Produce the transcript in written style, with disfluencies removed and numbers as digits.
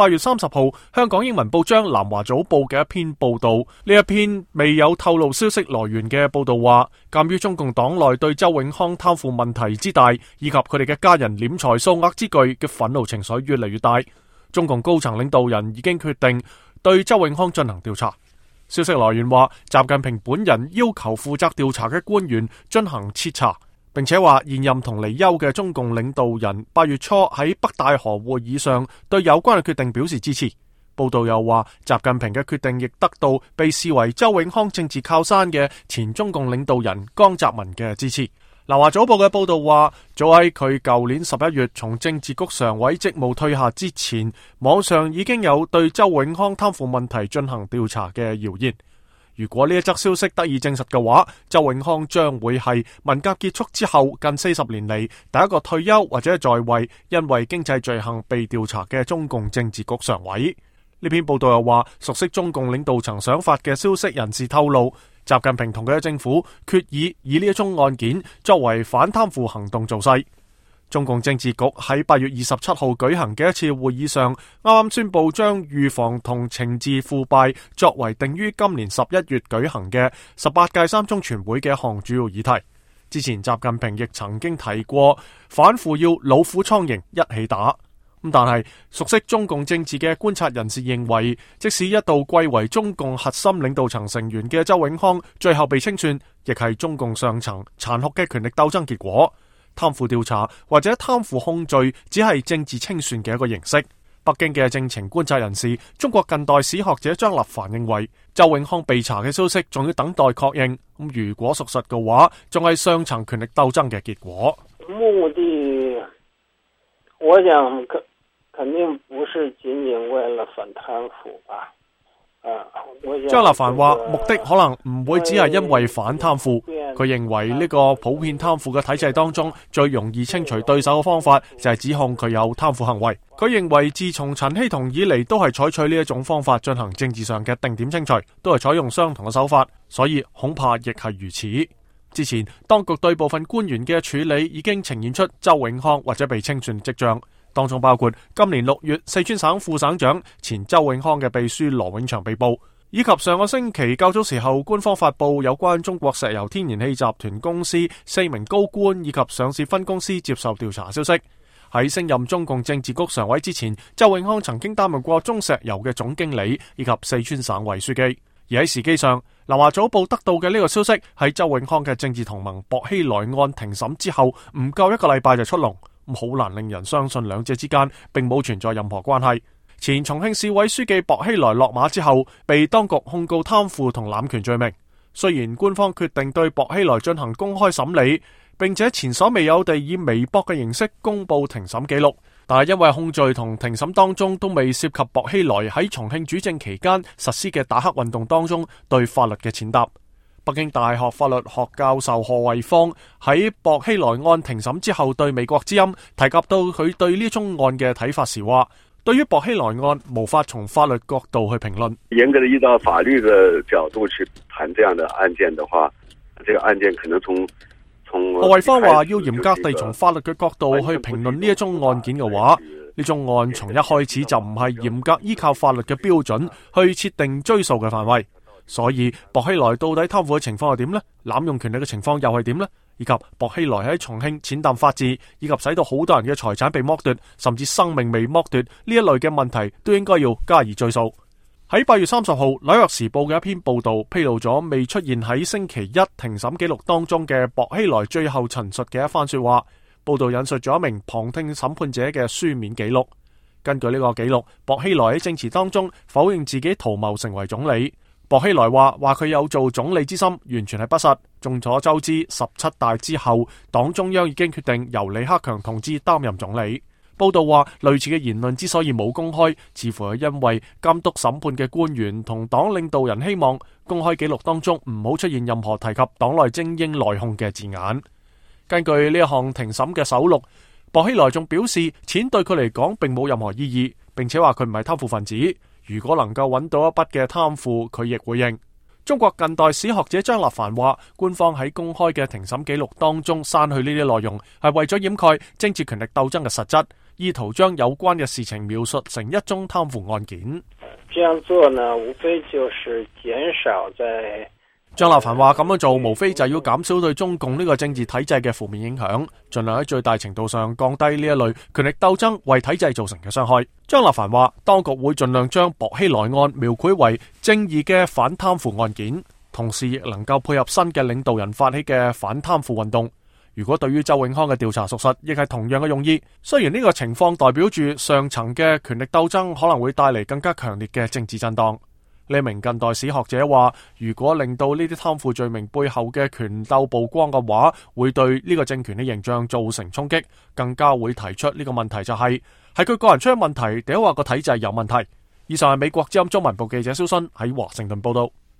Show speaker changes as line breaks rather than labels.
8月30號香港英文報章南華早報嘅一篇報道。呢一篇未有透露消息來源嘅報道話，鑒於中共黨內對周永康貪腐問題之大，以及佢哋嘅家人斂財數額之巨嘅憤怒情緒越嚟越大，中共高層領導人已經決定對周永康進行調查。消息來源話，習近平本人要求負責調查嘅官員進行徹查，並且話現任同離休嘅中共領導人8月初喺北戴河會議上對有關嘅決定表示支持。報道又話，習近平嘅決定亦得到被視為周永康政治靠山嘅前中共領導人江澤民嘅支持。南華早報嘅報道話，早喺佢舊年11月從政治局常委職務退下之前，網上已經有對周永康貪腐問題進行調查嘅謠言。如果呢一則消息得以證實嘅話，周永康將會係文革結束之後近40年嚟第一個退休或者在位因為經濟罪行被調查嘅中共政治局常委。呢篇報道又話，熟悉中共領導層想法嘅消息人士透露，習近平同佢嘅政府決意以呢一宗案件作為反貪腐行動造勢。中共政治局喺8月27號舉行嘅一次會議上，啱啱宣布將預防同懲治腐敗作為定於今年11月舉行嘅18屆三中全會嘅一項主要議題。之前習近平亦曾經提過，反腐要老虎蒼蠅一起打。但係熟悉中共政治嘅觀察人士認為，即使一度貴為中共核心領導層成員嘅周永康最後被清算，亦係中共上層殘酷嘅權力鬥爭結果。貪腐調查或者貪腐控罪只係政治清算嘅一個形式。北京嘅政情觀察人士、中國近代史學者張立凡認為，周永康被查嘅消息仲要等待確認。如果屬實嘅話，仲係上層權力鬥爭嘅結果。
目的，我想肯定不是僅僅為了反貪腐吧。
張立凡話，目的可能唔會只係因為反貪腐。佢認為呢個普遍貪腐嘅體制當中，最容易清除對手嘅方法就係指控佢有貪腐行為。佢認為自從陳希同以嚟都係採取呢一種方法進行政治上嘅定點清除，都係採用相同嘅手法，所以恐怕亦係如此。之前當局對部分官員嘅處理已經呈現出周永康或者被清算跡象。當中包括今年6月四川省副省長前周永康嘅秘書羅永祥被捕，以及上個星期較早時候官方發布有關中國石油天然氣集團公司4名高官以及上市分公司接受調查消息。喺升任中共政治局常委之前，周永康曾經擔任過中石油嘅總經理以及四川省委書記。而喺時機上，南華早報得到嘅呢個消息喺周永康嘅政治同盟薄熙來案庭審之後唔夠1個禮拜就出籠。好難令人相信兩者之間並冇存在任何關係。前重慶市委書記薄熙來落馬之後，被當局控告貪腐同濫權罪名。雖然官方決定對薄熙來進行公開審理，並且前所未有地以微博嘅形式公布庭審記錄，但係因為控罪同庭審當中都未涉及薄熙來喺重慶主政期間實施嘅打黑運動當中對法律嘅踐踏。北京大學法律學教授賀慧芳喺薄熙來案庭審之後對美國之音提及到佢對呢宗案嘅睇法時話，對於薄熙來案無法從法律角度去評論。
嚴格的依照法律的角度去談這樣的案件的話，這個案件可能從
賀慧芳話，要嚴格地從法律嘅角度去評論呢一宗案件嘅話，呢宗案從一開始就唔係嚴格依靠法律嘅標準去設定追訴嘅範圍。所以薄熙來到底貪腐嘅情況係點呢？濫用權力嘅情況又係點呢？以及薄熙來喺重慶踐踏法治，以及使到好多人嘅財產被剝奪，甚至生命被剝奪，呢一類嘅問題都應該要加以追訴。喺8月30號紐約時報嘅一篇報道披露咗未出現喺星期一庭審記錄當中嘅薄熙來最後陳述嘅一番說話。報道引述咗一名旁聽審判者嘅書面記錄。根據呢個記錄，薄熙來喺證詞當中否認自己圖謀成為總理。薄熙來話佢有做總理之心，完全係不實。眾所周知，17大之後，黨中央已經決定由李克強同志擔任總理。報道話，類似嘅言論之所以冇公開，似乎係因為監督審判嘅官員同黨領導人希望公開記錄當中唔好出現任何提及黨內精英內訌嘅字眼。根據呢一項庭審嘅首錄，薄熙來仲表示，錢對佢嚟講並冇任何意義，並且話佢唔係貪腐分子。如果能夠揾到一筆嘅貪腐，佢亦會認。中國近代史學者張立凡話，官方喺公開嘅庭審記錄當中刪去呢啲內容，係為咗掩蓋政治權力鬥爭嘅實質，意圖將有關嘅事情描述成一宗貪腐案件。
這樣做呢，無非就是減少在
張立凡話咁樣做，無非就要減少對中共呢個政治體制嘅負面影響，盡量喺最大程度上降低呢一類權力鬥爭為體制造成嘅傷害。張立凡話，當局會盡量將薄熙來案描繪為正義嘅反貪腐案件，同時亦能夠配合新嘅領導人發起嘅反貪腐運動。如果對於周永康嘅調查屬實，亦係同樣嘅用意。雖然呢個情況代表住上層嘅權力鬥爭可能會帶嚟更加強烈嘅政治震盪。呢名近代史學者話，如果令到呢啲貪腐罪名背後嘅權鬥曝光嘅話，會對呢個政權嘅形象造成衝擊，更加會提出呢個問題就係佢個人出咗問題，定係話個體制有問題。以上係美國之音中文部記者蕭新喺華盛頓報道。